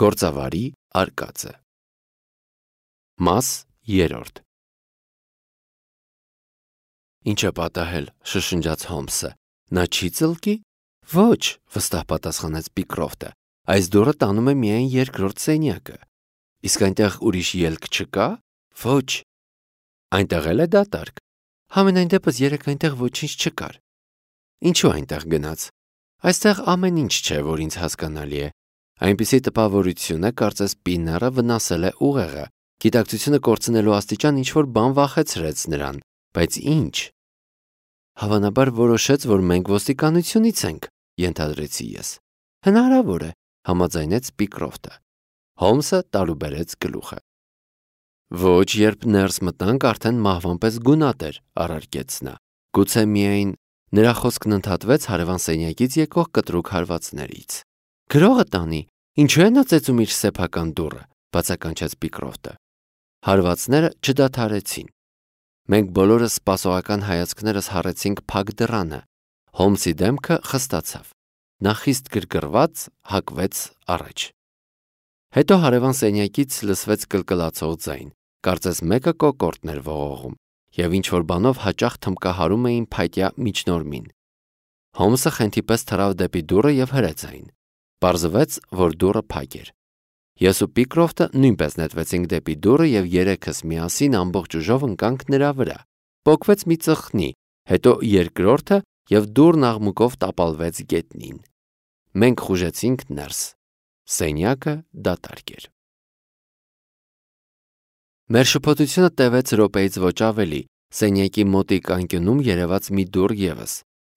Գործավարի արկածը։ Մաս 3 Ինչ է պատահել, շշնջաց Հոլմսը։ Նա չի ծլկի։ Ոչ, վստահ պատասխանեց Պիկրոֆտը։ Այս դուռը տանում է միայն երկրորդ սենյակը։ Իսկ այնտեղ ուրիշ ելք չկա։ Ոչ։ Այնտեղ էլ է դատարկ։ Համենայն դեպս երեկ այնտեղ ոչինչ չկար։ Ինչու այնտեղ գնաց։ Այստեղ ամեն ինչ չէ, որ ինձ հասկանալի է։ Այնպիսի տպավորություն է, կարծես Պիները վնասել է ուղեղը։ Գիտակցությունը կորցնելու աստիճան ինչ-որ բան վախեցրեց նրան, բայց ինչ։ Հավանաբար որոշեց, որ մենք ոստիկանությունից ենք, ենթադրեցի ես։ Հնարավոր է, համաձայնեց Պիկրոֆտը։ Հոլմսը տարուբերեց գլուխը։ Ոչ, երբ ներս մտանք, արդեն մահվան պես գունատ էր, առարկեց նա։ Գուցե միայն նրա խոսքն ընդհատվեց հարևան սենյակից եկող կտրուկ հարվածներից։ Գրողը տանի, ինչու է նա ծեծում իր սեփական դուռը, բացականչեց Պիկրոֆտը։ Հարվածները չդադարեցին։ Մենք բոլորս սպասողական հայացքներս հառեցինք փակ դռանը։ Հոլմսի դեմքը խստացավ։ Նա խիստ գրգռված հակվեց առաջ։ Հետո հարևան սենյակից լսվեց կլկլացող ձայն, կարծես մեկը կոկորդն էր ողողում, և ինչ-որ բանով հաճախ թմկահարում էին փայտյա միջնորմին։ Հոլմսը խենթի պես թռավ դեպի դուռը և հրեց այն։ Պարզվեց, որ դուռը փակ էր։ Ես ու Պիկրոֆտը նույնպես նետվեցինք դեպի դուռը և երեքս միասին ամբողջ ուժով ընկանք նրա վրա։ Պոկվեց մի ծխնի, հետո երկրորդը և դուռն աղմուկով տապալվեց գետնին։ Մենք խուժեցինք ներս։ Սենյակը դատարկ էր։ Մեր շփոթությունը տևեց րոպեից ոչ ավելի։ Սենյակի մոտիկ անկյունում երևաց մի դուռ ևս։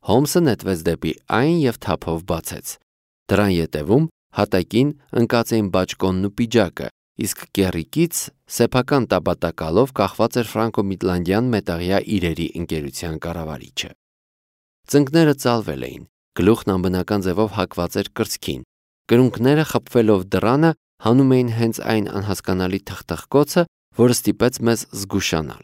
Հոլմսը նետվեց դեպի այն և թափով բացեց։ Դռան ետևում հատակին ընկած էին բաճկոնն ու պիջակը, իսկ կեռիկից սեփական տաբատակալով կախված էր ֆրանկո-միտլանդյան մետաղյա իրերի ընկերության կառավարիչը։ Ծնկները ծալվել էին, գլուխն անբնական ձևով հակված էր կրծքին, կրունկները խփվելով դռանը հանում էին հենց այն անհասկանալի թխթխկոցը, որը ստիպեց մեզ զգուշանալ։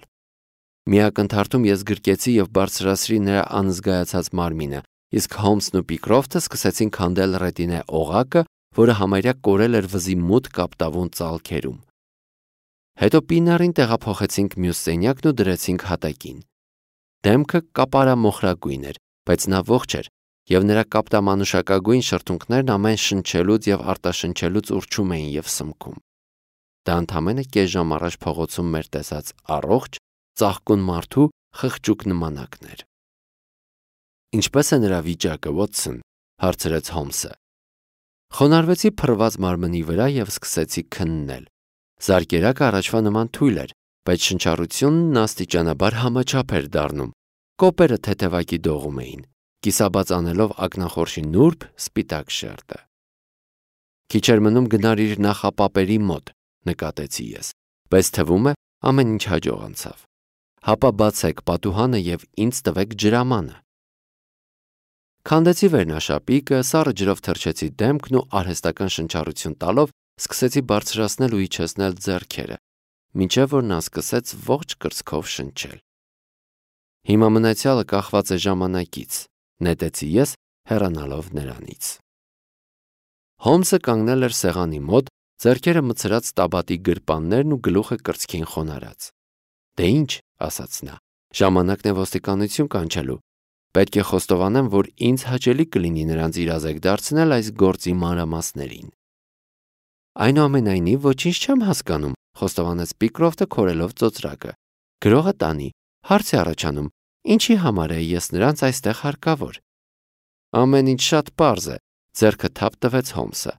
Մի ակնթարթում ես գրկեցի և բարձրացրի նրա անզգայացած մարմինը, իսկ Հոլմսն ու Պիկրոֆտը սկսեցին քանդել ռետինե օղակը, որը համարյա կորել էր վզի մութ կապտավուն ծալքերում։ Հետո Պիներին տեղափոխեցինք մյուս սենյակն ու դրեցինք հատակին։ Դեմքը կապարամոխրագույն էր, բայց նա ողջ էր, և նրա կապտամանուշակագույն շրթունքներն ամեն շնչելուց և արտաշնչելուց ուռչում էին և սմքում։ Դա ընդամենը կես ժամ առաջ փողոցում մեր տեսած առողջ, ծաղկուն մարդու խղճուկ նմանակն էր։ Ինչպե՞ս է նրա վիճակը, Վոթսոն, հարցրեց Հոլմսը։ Խոնարհվեցի փռված մարմնի վրա և սկսեցի քննել։ Զարկերակը առաջվա նման թույլ էր, բայց շնչառությունն աստիճանաբար համաչափ էր դառնում։ Կոպերը թեթևակի դողում էին, կիսաբաց անելով ակնախորշի նուրբ սպիտակ շերտը։ Քիչ էր մնում գնար իր նախապապերի մոտ, նկատեցի ես, բայց թվում է ամեն ինչ հաջող անցավ։ Հապա բացեք պատուհանը և ինձ տվեք ջրամանը։ Քանդեցի վերնաշապիկը, սառը ջրով թրջեցի դեմքն ու արհեստական շնչառություն տալով սկսեցի բարձրացնել ու իջեցնել ձեռքերը, մինչև որ նա սկսեց ողջ կրծքով շնչել։ Հիմա մնացյալը կախված է ժամանակից, նետեցի ես, հեռանալով նրանից։ Հոլմսը կանգնել էր սեղանի մոտ, ձեռքերը մտցրած տաբատի գրպաններն ու գլուխը կրծքին խոնարհած։ Դե ինչ, ասաց նա, ժամանակն է ոստիկանություն կանչելու։ Պետք է խոստովանեմ, որ ինձ հաճելի կլինի նրանց իրազեկ դարձնել այս գործի մանրամասներին։ Այնուամենայնիվ ոչինչ չեմ հասկանում, խոստովանեց Պիկրոֆտը քորելով ծոծրակը։ Գրողը տանի, հարց է առաջանում, ինչի համար է ես նրանց այստեղ հարկավոր։ Ամեն ինչ շատ պարզ է, ձեռքը թափ տվեց Հոլմսը։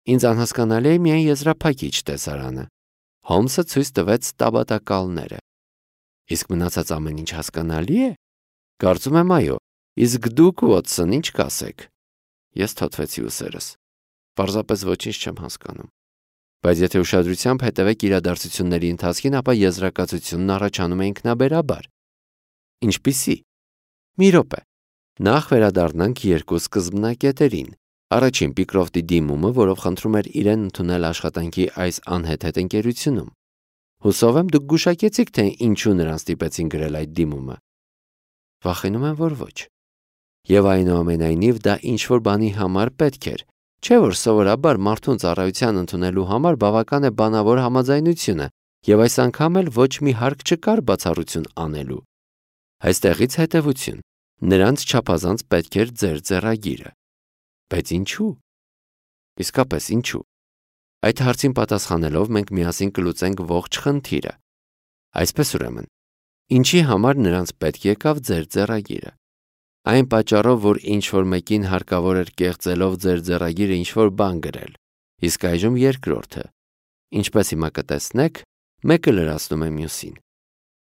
Ինձ անհասկանալի է միայն եզրափակիչ տեսարանը։ Հոլմսը ցույց տվեց տաբատակալները։ Իսկ մնացած ամեն ինչ հասկանալի է։ Կարծում եմ այո, իսկ դուք, Վոթսոն, ինչ կասեք։ Ես թոթվեցի ուսերս։ Պարզապես ոչինչ չեմ հասկանում։ Բայց եթե ուշադրությամբ հետևեք իրադարձությունների ընթացքին, ապա եզրակացությունն առաջանում է ինքնաբերաբար։ Ինչպիսի։ Մի րոպե։ Նախ վերադառնանք երկու սկզբնակետերին։ Առաջին Պիկրոֆտի դիմումը, որով խնդրում էր իրեն ընդունել աշխատանքի այս անհեթեթ ընկերությունում։ Հուսով եմ դուք գուշակեցիք, թե ինչու նրան ստիպեցին գրել այդ դիմումը։ Վախենում եմ, որ ոչ։ Եվ այնուամենայնիվ դա ինչ-որ բանի համար պետք էր, Չէ՞ որ սովորաբար մարդուն ծառայության ընդունելու համար բավական է բանավոր համաձայնությունը, եւ այս անգամ էլ ոչ մի հարկ չկար բացառություն անելու։ Այստեղից հետևություն. նրանց չափազանց պետք էր ձեր ձեռագիրը։ Բայց ինչու՞։ Իսկապես ինչու։ Այդ հարցին պատասխանելով մենք միասին կլուծենք ողջ խնդիրը։ Այսպես ուրեմն, ինչի համար նրանց պետք եկավ ձեր ձեռագիրը։ Այն պատճառով, որ ինչ-որ մեկին հարկավոր էր կեղծելով ձեր ձեռագիրը ինչ-որ բան գրել, իսկ այժմ երկրորդը։ Ինչպես հիմա կտեսնեք, մեկը լրացնում է մյուսին։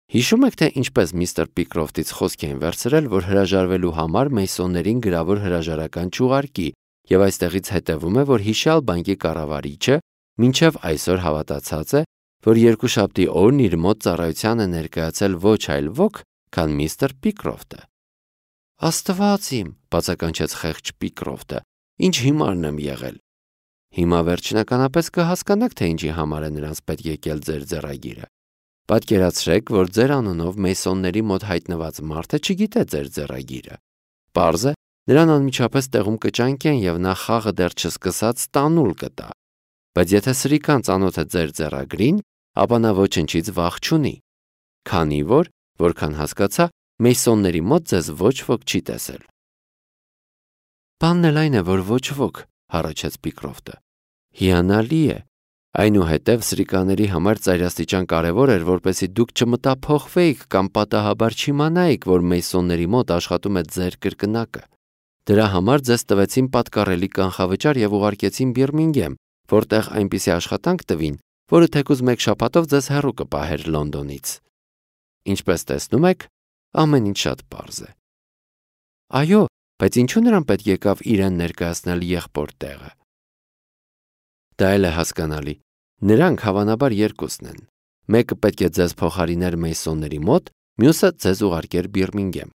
Հիշում եք, թե ինչպես միստր Պիկրոֆտից խոսք էին վերցրել, որ հրաժարվելու համար Մեյսոններին գրավոր հրաժարական չուղարկի, եւ այստեղից հետևում է, որ հիշյալ բանկի կառավարիչը մինչև այսօր հավատացած է, որ երկուշաբթի օրն իր մոտ ծառայության է ներկայացել ոչ այլ ոք, քան միստր Պիկրոֆտը։ Աստված իմ, բացականչեց խեղճ Պիկրոֆտը, ինչ հիմարն եմ եղել։ Հիմա վերջնականապես կհասկանաք, թե ինչի համար է նրանց պետք եկել ձեր ձեռագիրը։ Պատկերացրեք, որ ձեր անունով Մեյսոնների մոտ հայտնված մարդը չգիտե ձեր ձեռագիրը։ Պարզ է, նրան անմիջապես տեղում կճանկեն եւ նա խաղը դեռ չսկսած տանուլ կտա։ Բայց եթե սրիկան ծանոթ է ձեր ձեռագրին, ապա նա ոչնչից վախ չունի, քանի որ, որքան հասկացա, Մեյսոնների մոտ ձեզ ոչ ոք չի տեսել։ Բանն էլ այն է, որ ոչ ոք, հառաչեց Պիկրոֆտը։ Հիանալի է։ Այնուհետև սրիկաների համար ծայրաստիճան կարևոր էր, որպեսզի դուք չմտափոխվեիք կամ պատահաբար չիմանայիք, որ Մեյսոնների մոտ աշխատում է ձեր կրկնակը։ Դրա համար ձեզ տվեցին պատկառելի կանխավճար եւ ուղարկեցին Բիրմինգեմ, որտեղ այնպիսի աշխատանք տվին, որը թեկուզ մեկ շաբաթով ձեզ հեռու կպահեր Լոնդոնից։ Ինչպես տեսնում եք, ամեն ինչ շատ պարզ է։ Այո, բայց ինչու նրան պետք եկավ իրեն ներկայացնել եղբոր տեղը։ Դա էլ է հասկանալի։ Նրանք հավանաբար երկուսն են։ Մեկը պետք է ձեզ փոխարիներ Մեյսոնների մոտ, մյուսը ձեզ ուղարկեր Բիրմինգեմ։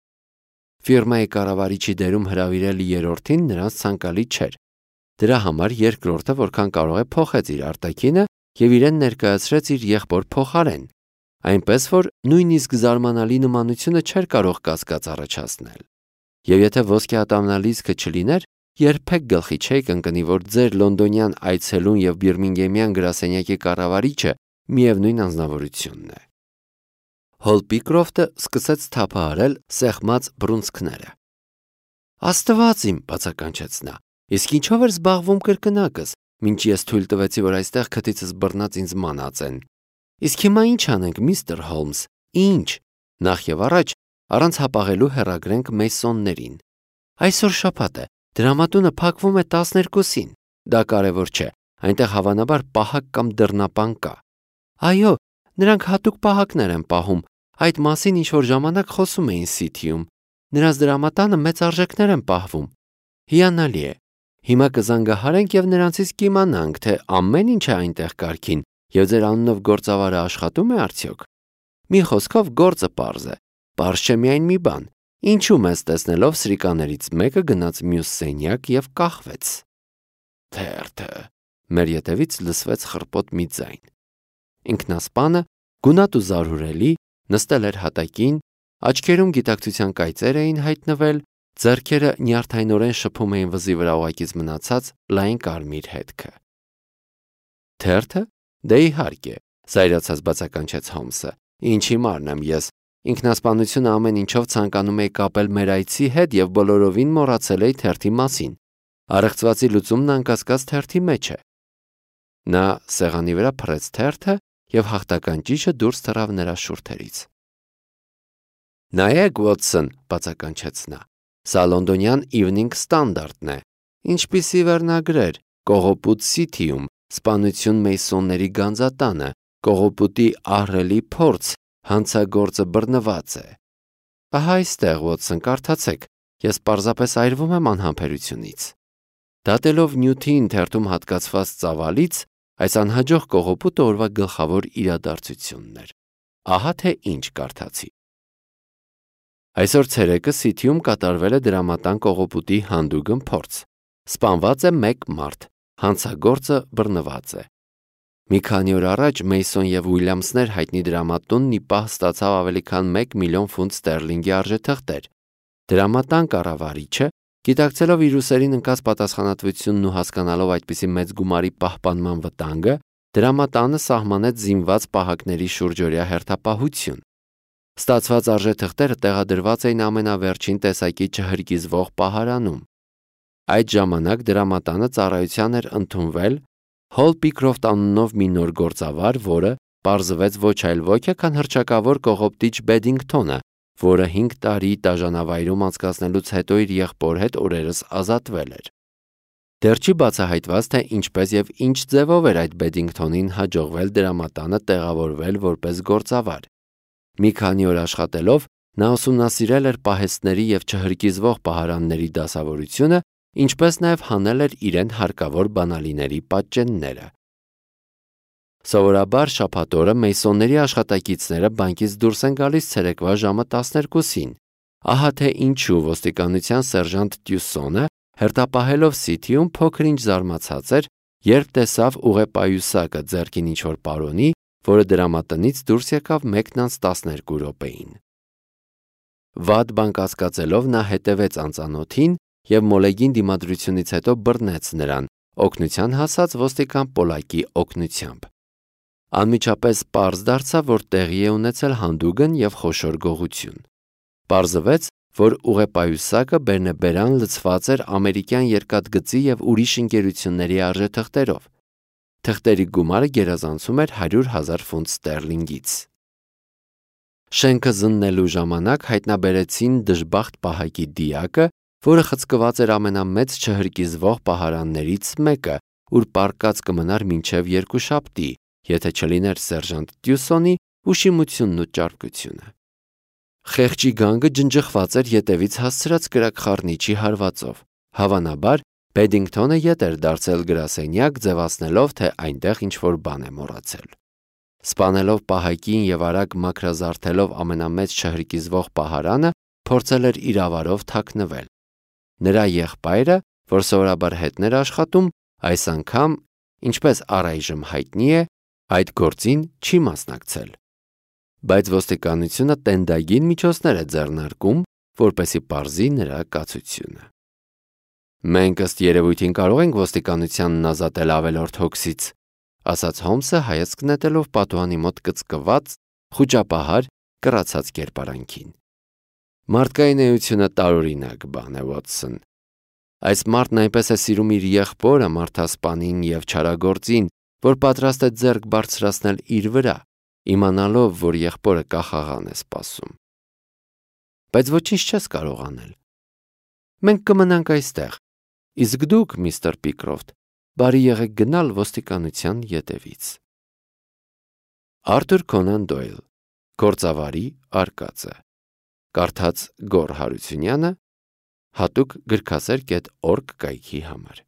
Ֆիրմայի կառավարիչի դերում հրավիրել երրորդին նրանց ցանկալի չէր։ Դրա համար երկրորդը որքան կարող է փոխեց իր արտաքինը եւ իրեն ներկայացրեց իր եղբոր փոխարեն, այնպես որ նույնիսկ զարմանալի նմանությունը չէր կարող կասկած առաջացնել։ Եվ եթե ոսկե ատամնալիզքը չլիներ, երբեք գլխի չէիք ընկնի, որ ձեր լոնդոնյան այցելուն եւ Բիրմինգեմյան գրասենյակի կառավարիչը միևնույն անձնավորությունն է։ Հոլ Պիկրոֆտը սկսեց թափահարել սեղմած բռունցքները։ Աստված իմ, բացականչեց նա, իսկ ինչով էր զբաղվում կրկնակս, մինչ ես թույլ տվեցի, որ այստեղ քթիցս բռնած ինձ մանածեն։ Իսկ հիմա ինչ անենք, միստր Հոլմս, ինչ։ Նախ եւ առաջ առանց հապաղելու հեռագրենք Մեյսոններին։ Այսօր շաբաթ է, դրամատունը փակվում է 12-ին։ Դա կարևոր չէ, այնտեղ հավանաբար պահակ կամ դռնապան կա։ Այո, նրանք հատուկ պահակներ են պահում, այդ մասին ինչ-որ ժամանակ խոսում էին Սիթիում։ Նրանց դրամատանը մեծ արժեքներ են պահվում։ Հիանալի է։ Հիմա կզանգահարենք եւ նրանցից կիմանանք, թե ամեն ինչ է այնտեղ կարգին եւ ձեր անունով գործավարը աշխատում է արդյոք։ Մի խոսքով գործը պարզ է։ Պարզ չէ միայն մի բան. ինչու մեզ տեսնելով սրիկաներից մեկը գնաց մյուս սենյակ եւ կախվեց։ Թերթը։ Մեր ետևից լսվեց խռպոտ մի ձայն։ Ինքնասպանը, գունատ ու զարհուրելի, նստել էր հատակին, աչքերում գիտակցության կայծեր էին հայտնվել, ձեռքերը նյարդայնորեն շփում էին վզի վրա ուղակից մնացած լայն կարմիր հետքը։ Թերթը։ Դե իհարկե, զայրացած բացականչեց Հոմսը։ Ինչ հիմարն եմ ես։ Ինքնասպանությունը ամեն ինչով ցանկանում էի կապել մեր այցի հետ եւ բոլորովին մոռացել էի թերթի մասին։ Առեղծվածի լուծումն անկասկած թերթի մեջ է։ Նա սեղանի վրա փռեց թերթը եւ հաղթական ճիշը դուրս թռավ նրա շուրթերից։ Նայեք, Ուոտսոն, բացականչեց նա։ Սա լոնդոնյան Evening Standard-ն է։ Ինչպիսի վերնագրեր՝ Կողոպուտ Սիթիում, սպանություն Մեյսոնների գանձատանը, Կողոպուտի ահռելի փորձ, հանցագործը բռնված է։ Ահա այստեղ, Ուոտսոն, կարդացեք, ես պարզապես այրվում եմ անհամբերությունից։ Դատելով նյութին թերթում հատկացված ծավալից, այս անհաջող կողոպուտը օրվա գլխավոր իրադարձությունն էր։ Ահա թե ինչ կարդացի։ Այսօր ցերեկը Սիթիում կատարվել է դրամատան կողոպուտի հանդուգն փորձ։ Սպանված է մեկ մարդ, հանցագործը բռնված է։ Մի քանի օր առաջ Մեյսոն եւ Ուիլյամսներ հայտնի դրամատունն ի պահ ստացավ ավելի քան 1 միլիոն ֆունտ ստերլինգի արժեթղթեր։ Դրամատան կառավարիչը Գիտակցելով իր ուսերին ընկած պատասխանատվությունն ու հասկանալով այդպիսի մեծ գումարի պահպանման վտանգը, դրամատանը սահմանեց զինված պահակների շուրջօրյա հերթապահություն։ Ստացված արժեթղթերը տեղադրված էին ամենավերջին տեսակի չհրկիզվող պահարանում։ Այդ ժամանակ դրամատանը ծառայության էր ընդունվել Հոլ Պիկրոֆտ անունով մի նոր գործավար, որը պարզվեց ոչ այլ ոք է, քան հռչակավոր կողոպտիչ Բեդինգթոնը, որը 5 տարի դաժանավայրում անցկացնելուց հետո իր եղբոր հետ օրերս ազատվել էր։ Դեռ չի բացահայտված, թե ինչպես եւ ինչ ձևով էր այդ Բեդինգթոնին հաջողվել դրամատանը տեղավորվել որպես գործավար։ Մի քանի օր աշխատելով նա ուսումնասիրել էր պահեստների եւ չհրկիզվող պահարանների դասավորությունը, ինչպես նաեւ հանել էր իրեն հարկավոր բանալիների պատճենները։ Սովորաբար շաբաթ օրը Մեյսոնների աշխատակիցները բանկից դուրս են գալիս ցերեկվա ժամը 12-ին։ Ահա թե ինչու ոստիկանության սերժանտ Տյուսոնը հերթապահելով Սիթիում փոքր-ինչ զարմացած էր, երբ տեսավ ուղեպայուսակը ձեռքին ինչ-որ պարոնի, որը դրամատնից դուրս եկավ 1:12 րոպեին։ Վատ բան կասկածելով նա հետևեց անծանոթին եւ մոլեգին դիմադրությունից հետո բռնեց նրան, օգնության հասած ոստիկան Պոլակի օգնությամբ։ Անմիջապես պարզ դարձավ, որ տեղի է ունեցել հանդուգն եւ խոշոր գողություն։ Պարզվեց, որ ուղեպայուսակը բերնեբերան լցված էր ամերիկյան երկաթգծի եւ ուրիշ ընկերությունների արժեթղթերով։ Թղթերի գումարը գերազանցում էր 100,000 ֆունտ ստերլինգից։ Շենքը զննելու ժամանակ հայտնաբերեցին դժբախտ պահակի դիակը, որը խցկված էր ամենամեծ չհրկիզվող պահարաններից մեկը, ուր պառկած կմնար մինչև երկուշաբթի, եթե չլիներ սերժանտ Տյուսոնի ուշիմությունն ու ճարպկությունը։ Խեղճի գանգը ջնջխված էր ետևից հասցրած կրակխառնիչի հարվածով։ Հավանաբար Բեդինգթոնը ետ էր դարձել գրասենյակ, ձևացնելով, թե այնտեղ ինչ-որ բան է մոռացել։ Սպանելով պահակին եւ արագ մաքրազարդելով ամենամեծ չհրկիզվող պահարանը, փորձել էր իրավարով թաքնվել։ Նրա եղբայրը, որ սովորաբար հետն էր աշխատում, այս անգամ, ինչպես առայժմ հայտնի է, այդ գործին չի մասնակցել։ Բայց ոստիկանությունը տենդագին միջոցներ է ձեռնարկում, որպեսզի պարզի նրա կացությունը։ Մենք ըստ երևույթին կարող ենք ոստիկանությանն ազատել ավելորդ հոգսից, ասաց Հոմսը հայացք նետելով պատուհանի մոտ կծկված, խուճապահար, կռացած կերպարանքին։ Մարդկային էությունը տարօրինակ բան է, Վոթսոն։ Այս մարդն այնպես է սիրում իր եղբորը, մարդասպանին եւ չարագործին, որ պատրաստ է ձեռք բարձրացնել իր վրա, իմանալով, որ եղբորը կախաղան է սպասում։ Բայց ոչինչ չես կարող անել։ Մենք կմնանք այստեղ, իսկ դուք, միստր Պիկրոֆտ, բարի եղեք գնալ ոստիկանության ետևից։ Արթուր Քոնան Դոյլ, Գործավարի արկածը։ Կարդաց Գոռ Հարությունյանը, հատուկ գրքասեր.org կայքի համար։